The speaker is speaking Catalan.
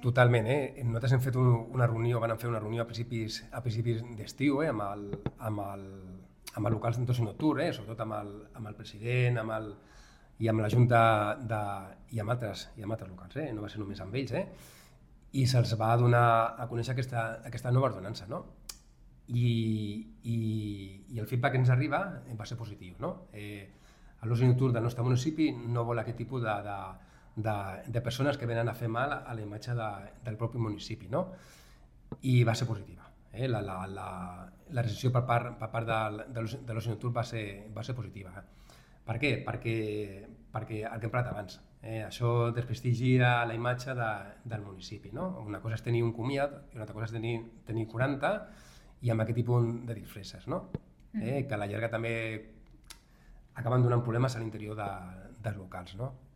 Totalment, nosaltres hem fet una reunió, vam fer una reunió a principis d'estiu, amb els locals d'oci nocturn, sobretot amb el president, i amb la Junta i amb altres locals, no va ser només amb ells, i se'ls va donar a conèixer aquesta nova ordenança, no? I el feedback que ens arriba va ser positiu, no? L'oci nocturn del nostre municipi no vol aquest tipus de persones que venen a fer mal a la imatge del propi municipi, no? I va ser positiva. La recepció per part de l'oci nocturn va ser positiva. Per què? Perquè el que hem parlat abans, això desprestigia la imatge del municipi, no? Una cosa és tenir un comiat i una altra cosa és tenir 40 i amb aquest tipus de disfresses, no? Que a la llarga també acaben donant problemes a l'interior dels locals, no?